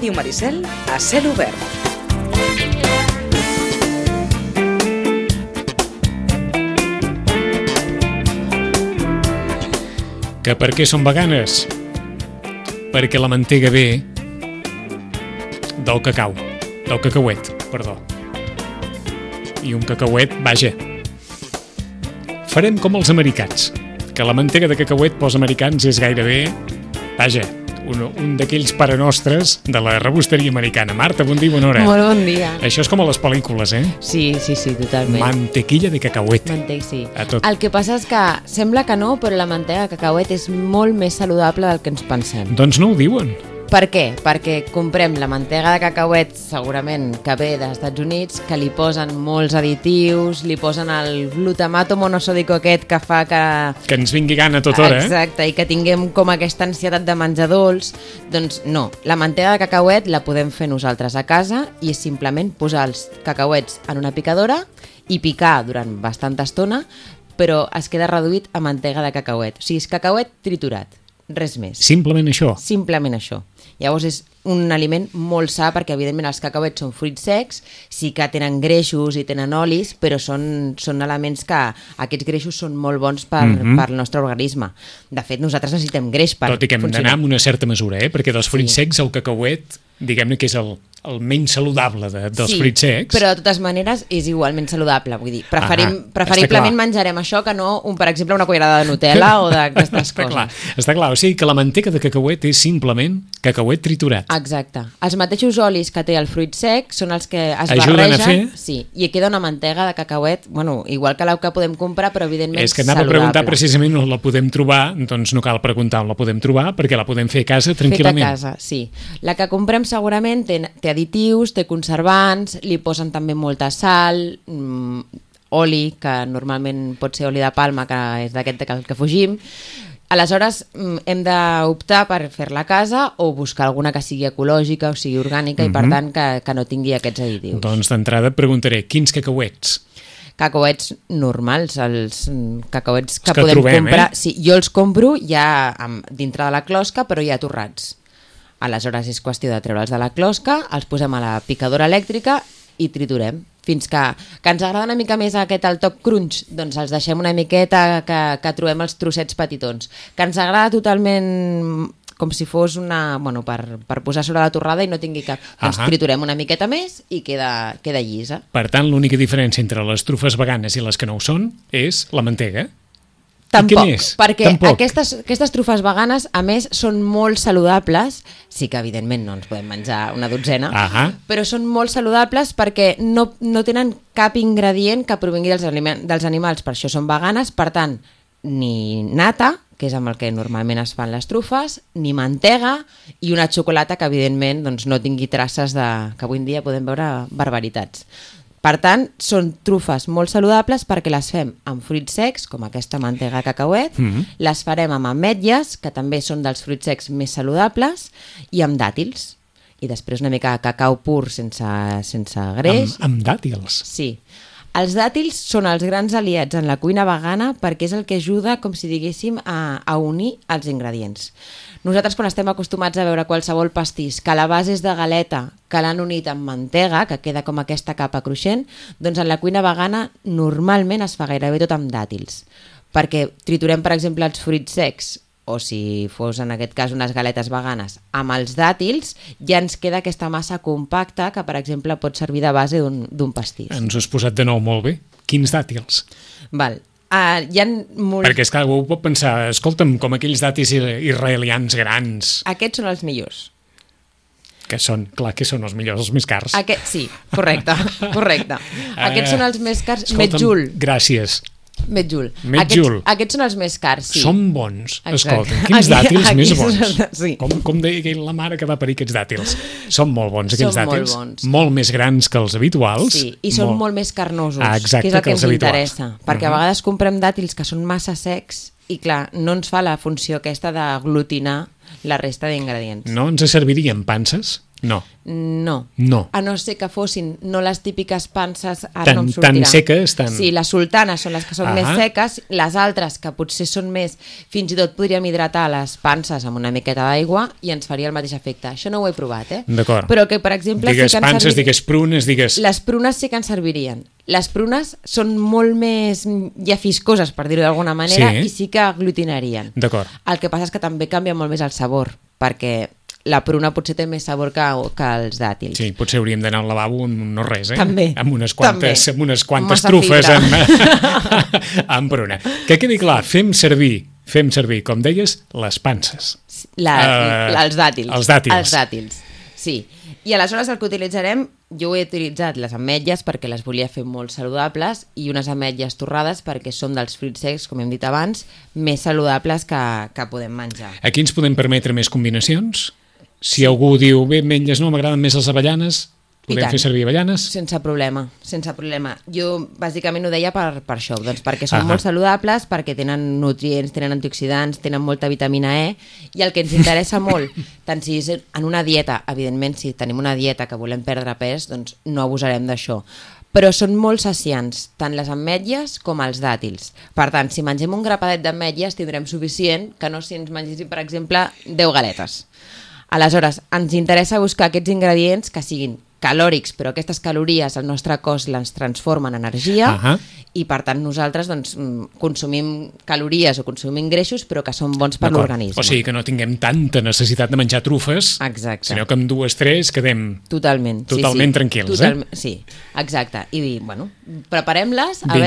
Ràdio Maricel a cel obert. Que per què són veganes? Perquè la mantega ve del cacau, del cacauet, perdó. I un cacauet, vaja. Farem com els americans, que la mantega de cacauet pels americans és gairebé, vaja, un d'aquells parenostres de la rebosteria americana. Marta, bon dia, bona hora. Molt bon dia. Això és com a les pel·lícules, eh? Sí, totalment. Mantequilla de cacauet. Sí. A tot. El que passa és que sembla que no, però la mantega de cacauet és molt més saludable del que ens pensem. Doncs no ho diuen. Per què? Perquè comprem la mantega de cacauet, segurament que ve dels Estats Units, que li posen molts additius, li posen el glutamato monosòdico aquest que fa que... Que ens vingui gana a tota hora, Exacte, i que tinguem com aquesta ansietat de menjar dolç. Doncs no, la mantega de cacauet la podem fer nosaltres a casa i és simplement posar els cacauets en una picadora i picar durant bastanta estona, però es queda reduït a mantega de cacauet. O sigui, és cacauet triturat, res més. Simplement això. Simplement això. Llavors és un aliment molt sa perquè evidentment els cacauets són fruits secs, sí que tenen greixos i tenen olis, però són elements que aquests greixos són molt bons pel nostre organisme. De fet, nosaltres necessitem greix per funcionar. Tot i que hem d'anar amb una certa mesura, perquè dels fruits secs el cacauet, diguem-ne que és el menys saludable dels fruits secs. Però de totes maneres és igualment saludable, vull dir, preferiblement menjarem això que no, per exemple, una cullerada de Nutella o d'aquestes coses. Està clar, o sigui que la manteca de cacauet és simplement cacauet triturat. Exacte. Els mateixos olis que té el fruit sec són els que es ajuden barregen, i queda una mantega de cacauet, bueno, igual que la que podem comprar, però evidentment saludable. És que anava a preguntar precisament on la podem trobar, doncs no cal preguntar on la podem trobar, perquè la podem fer a casa tranquil·lament. Fet a casa, sí. La que comprem segurament té additius, té conservants, li posen també molta sal, oli, que normalment pot ser oli de palma, que és d'aquest que fugim. Aleshores hem d'optar per fer-la a casa o buscar alguna que sigui ecològica o sigui orgànica i per tant que no tingui aquests additius. Doncs d'entrada et preguntaré, quins cacauets? Cacauets normals, els cacauets que podem comprar. Sí, jo els compro ja dintre de la closca, però ja torrats. Aleshores és qüestió de treure'ls de la closca, els posem a la picadora elèctrica i triturem. Fins que ens agrada una mica més el toc crunch, doncs els deixem una miqueta que trobem els trossets petitons. Que ens agrada totalment com si fos per posar sobre la torrada i no tingui cap... Doncs triturem una miqueta més i queda llisa. Per tant, l'única diferència entre les trufes veganes i les que no ho són és la mantega. Tampoc, perquè aquestes trufes veganes, a més, són molt saludables. Sí que, evidentment, no ens podem menjar una dotzena, però són molt saludables perquè no tenen cap ingredient que provingui dels animals, per això són veganes. Per tant, ni nata, que és amb el que normalment es fan les trufes, ni mantega i una xocolata que, evidentment, doncs, no tingui traces que avui en dia podem veure barbaritats. Per tant, són trufes molt saludables perquè les fem amb fruits secs, com aquesta mantega de cacauet, les farem amb ametlles, que també són dels fruits secs més saludables, i amb dàtils. I després una mica de cacau pur sense greix. Amb dàtils? Sí. Els dàtils són els grans aliats en la cuina vegana perquè és el que ajuda, com si diguéssim, a unir els ingredients. Nosaltres, quan estem acostumats a veure qualsevol pastís, que la base és de galeta, que l'han unit amb mantega, que queda com aquesta capa cruixent, doncs en la cuina vegana normalment es fa gairebé tot amb dàtils. Perquè triturem, per exemple, els fruits secs, o si fos en aquest cas unes galetes veganes, amb els dàtils ja ens queda aquesta massa compacta que, per exemple, pot servir de base d'un pastís. Ens ho has posat de nou molt bé. Quins dàtils? Val. Perquè és clar, algú pot pensar, escolta'm, com aquells dàtils israelians grans. Aquests són els millors. Que són els millors, els més cars. Sí, correcte. Aquests són els més cars. Escolta'm, gràcies. Metjul. Aquests són els més cars, sí. Són bons. Escolta, quins dàtils més bons. Sí. Com deia la mare que va parir aquests dàtils. Són molt bons, aquests dàtils. Molt més grans que els habituals. Sí, i són molt més carnosos, que és el que ens interessa. Perquè a vegades comprem dàtils que són massa secs i, clar, no ens fa la funció aquesta d'aglutinar la resta d'ingredients. No ens servirien panses? No. A no ser que fossin no les típiques panses, no em sortirà. Tan seques, Sí, les sultanes són les que són més seques, les altres que potser són més, fins i tot podríem hidratar les panses amb una miqueta d'aigua i ens faria el mateix efecte. Això no ho he provat, D'acord. Però que, per exemple... Digues panses, digues prunes, digues... Les prunes sí que ens servirien. Les prunes són molt més llafiscoses, per dir-ho d'alguna manera, i sí que aglutinarien. D'acord. El que passa és que també canvia molt més el sabor, perquè la pruna potser té més sabor que els dàtils. Sí, potser hauríem d'anar al lavabo amb no res, També. Amb unes quantes trufes amb pruna. Que quedi clar, fem servir, com deies, les panses. Els dàtils. Els dàtils. Els dàtils, sí. I aleshores el que utilitzarem, jo he utilitzat les ametlles perquè les volia fer molt saludables i unes ametlles torrades perquè són dels fruits secs, com hem dit abans, més saludables que podem menjar. Aquí ens podem permetre més combinacions? Si algú diu, bé, ametlles no, m'agraden més les avellanes, podem fer servir avellanes? Sense problema. Jo bàsicament ho deia per això, doncs perquè són molt saludables, perquè tenen nutrients, tenen antioxidants, tenen molta vitamina E, i el que ens interessa molt, tant si és en una dieta, evidentment si tenim una dieta que volem perdre pes, doncs no abusarem d'això. Però són molt saciants, tant les ametlles com els dàtils. Per tant, si mengem un grapadet d'ametlles tindrem suficient que no si ens mengéssim, per exemple, 10 galetes. Aleshores, ens interessa buscar aquests ingredients que siguin calòrics, però aquestes calories al nostre cos les transformen en energia i per tant nosaltres doncs, consumim calories o consumim greixos però que són bons per l'organisme. O sigui que no tinguem tanta necessitat de menjar trufes, sinó que amb 2 o 3 quedem totalment tranquils. Sí, exacte. I bueno, preparem-les a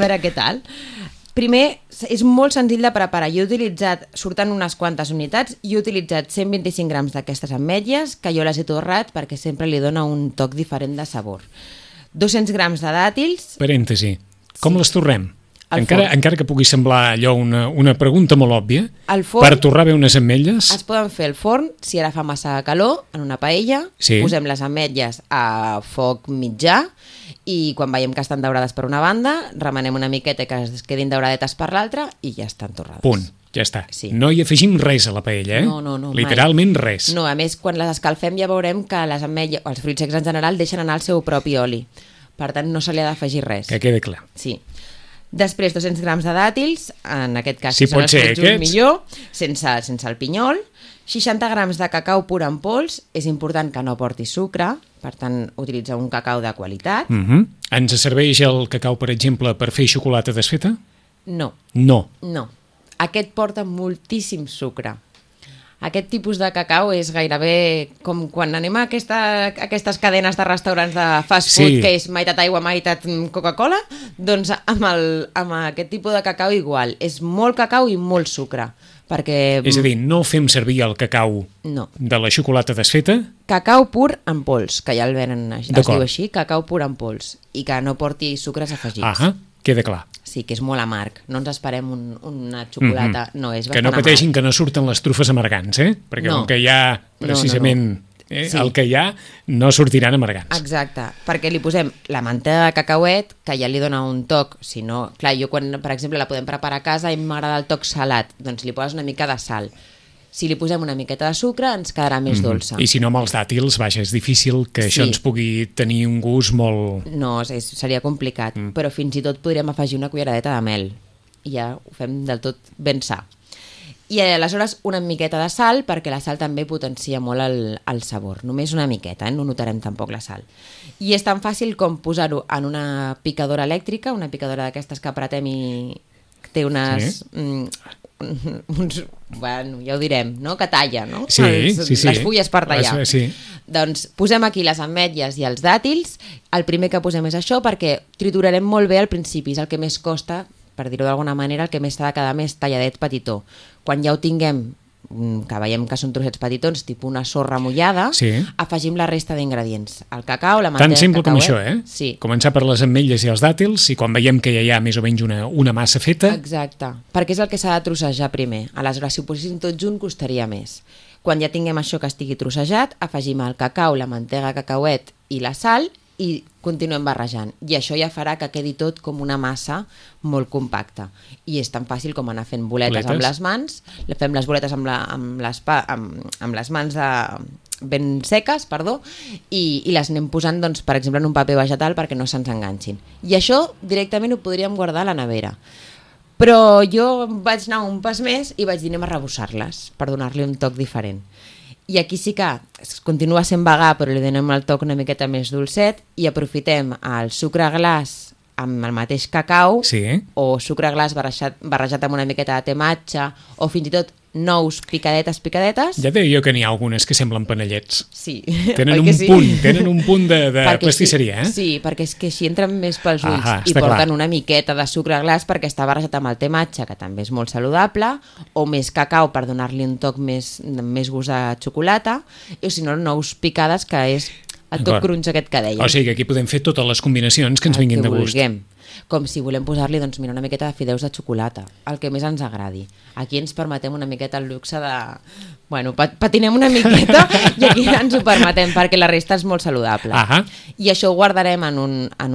veure què tal. Primer, és molt senzill de preparar. Jo he utilitzat, surten unes quantes unitats, i he utilitzat 125 grams d'aquestes ametlles, que jo les he torrat perquè sempre li dona un toc diferent de sabor. 200 grams de dàtils... Parèntesi, com les torrem? Encara que pugui semblar allò una pregunta molt òbvia, per torrar bé unes ametlles... Es poden fer al forn, si ara fa massa calor, en una paella, posem les ametlles a foc mitjà, i quan veiem que estan daurades per una banda, remenem una miqueta que es quedin dauradetes per l'altra i ja estan torrades. Punt, ja està. Sí. No hi afegim res a la paella, No, literalment mai. Res. No, a més, quan les escalfem ja veurem que les ametlles, els fruits secs en general, deixen anar el seu propi oli. Per tant, no se li ha d'afegir res. Que quede clar. Sí. Després, 200 grams de dàtils, en aquest cas, si són els fruits millor, sense el pinyol. 60 grams de cacau pur en pols, és important que no porti sucre, per tant, utilitzar un cacau de qualitat. Ens serveix el cacau, per exemple, per fer xocolata desfeta? No. Aquest porta moltíssim sucre. Aquest tipus de cacau és gairebé com quan anem a aquestes cadenes de restaurants de fast food, que és meitat aigua, meitat Coca-Cola, doncs amb aquest tipus de cacau igual. És molt cacau i molt sucre. És a dir, no fem servir el cacau de la xocolata desfeta? Cacau pur en pols, que ja el venen, es diu així, cacau pur en pols, i que no porti sucres afegits. Queda clar. Sí, que és molt amarg. No ens esperem una xocolata, no, és bastant amarg. Que no pateixin que no surten les trufes amargants, perquè com que hi ha precisament... el que hi ha no sortiran amargants. Exacte, perquè li posem la mantega de cacauet, que ja li dona un toc, si no, clar, jo quan, per exemple, la podem preparar a casa i m'agrada el toc salat, doncs li poses una mica de sal. Si li posem una miqueta de sucre, ens quedarà més dolça. I si no, amb els dàtils, vaja, és difícil que això ens pugui tenir un gust molt... No, seria complicat, però fins i tot podríem afegir una culleradeta de mel. I ja ho fem del tot ben sa. I aleshores una miqueta de sal, perquè la sal també potencia molt el sabor. Només una miqueta, no notarem tampoc la sal. I és tan fàcil com posar-ho en una picadora elèctrica, una picadora d'aquestes que apretem i té unes... bueno, ja ho direm, no? Que talla, no? Les fulles per tallar. Doncs posem aquí les ametlles i els dàtils. El primer que posem és això, perquè triturarem molt bé al principi, és el que més costa, per dir-ho d'alguna manera, el que més s'ha de quedar més talladet petitó. Quan ja ho tinguem, que veiem que són trossets petitons, tipus una sorra mullada, afegim la resta d'ingredients. El cacau, la mantega... Tan simple com això, Sí. Començar per les ametlles i els dàtils, i quan veiem que ja hi ha més o menys una massa feta... Exacte, perquè és el que s'ha de trossejar primer. Aleshores, si ho poséssim tot junt, costaria més. Quan ja tinguem això que estigui trossejat, afegim el cacau, la mantega de cacauet i la sal i continuem barrejant. I això ja farà que quedi tot com una massa molt compacta. I és tan fàcil com anar fent boletes amb les mans, fem les boletes amb les mans ben seques, i les anem posant, doncs, per exemple, en un paper vegetal perquè no se'ns enganxin. I això directament ho podríem guardar a la nevera. Però jo vaig anar un pas més i vaig dir anem a rebossar-les per donar-li un toc diferent. I aquí sí que continua sent vegà, però li donem el toc una miqueta més dolcet i aprofitem el sucre glaç amb el mateix cacau, o sucre glaç barrejat amb una miqueta de tematge, o fins i tot nous picadetes. Ja deia jo que n'hi ha algunes que semblen panellets. Sí. Tenen un punt de pastisseria, Sí, perquè és que així entren més pels ulls i porten una miqueta de sucre glaç perquè està barrejat amb el tematge, que també és molt saludable, o més cacau per donar-li un toc més gust de xocolata, o si no, nous picades, que és el toc crunch aquest que dèiem. O sigui que aquí podem fer totes les combinacions que ens vinguin de gust. Com si volem posar-li, doncs, una miqueta de fideus de xocolata, el que més ens agradi. Aquí ens permetem una miqueta el luxe de... Bueno, patinem una miqueta i aquí ens ho permetem perquè la resta és molt saludable. I això ho guardarem en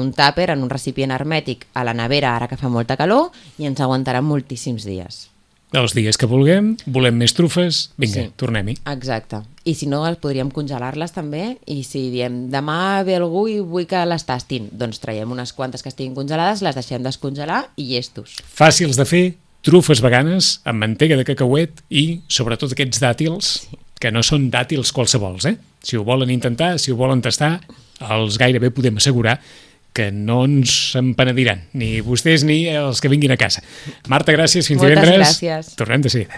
un tàper, en un recipient hermètic a la nevera, ara que fa molta calor, i ens aguantarà moltíssims dies. Els dies que volem més trufes, vinga, tornem-hi. Exacte. I si no, podríem congelar-les també, i si diem demà ve algú i vull que les tastin, doncs traiem unes quantes que estiguin congelades, les deixem descongelar i llestos. Fàcils de fer, trufes veganes amb mantega de cacauet i sobretot aquests dàtils, que no són dàtils qualsevols, Si ho volen intentar, si ho volen tastar, els gairebé podem assegurar que no ens en penediran, ni vostès ni els que vinguin a casa. Marta, gràcies, fins divendres. Moltes gràcies. Tornem de seguida.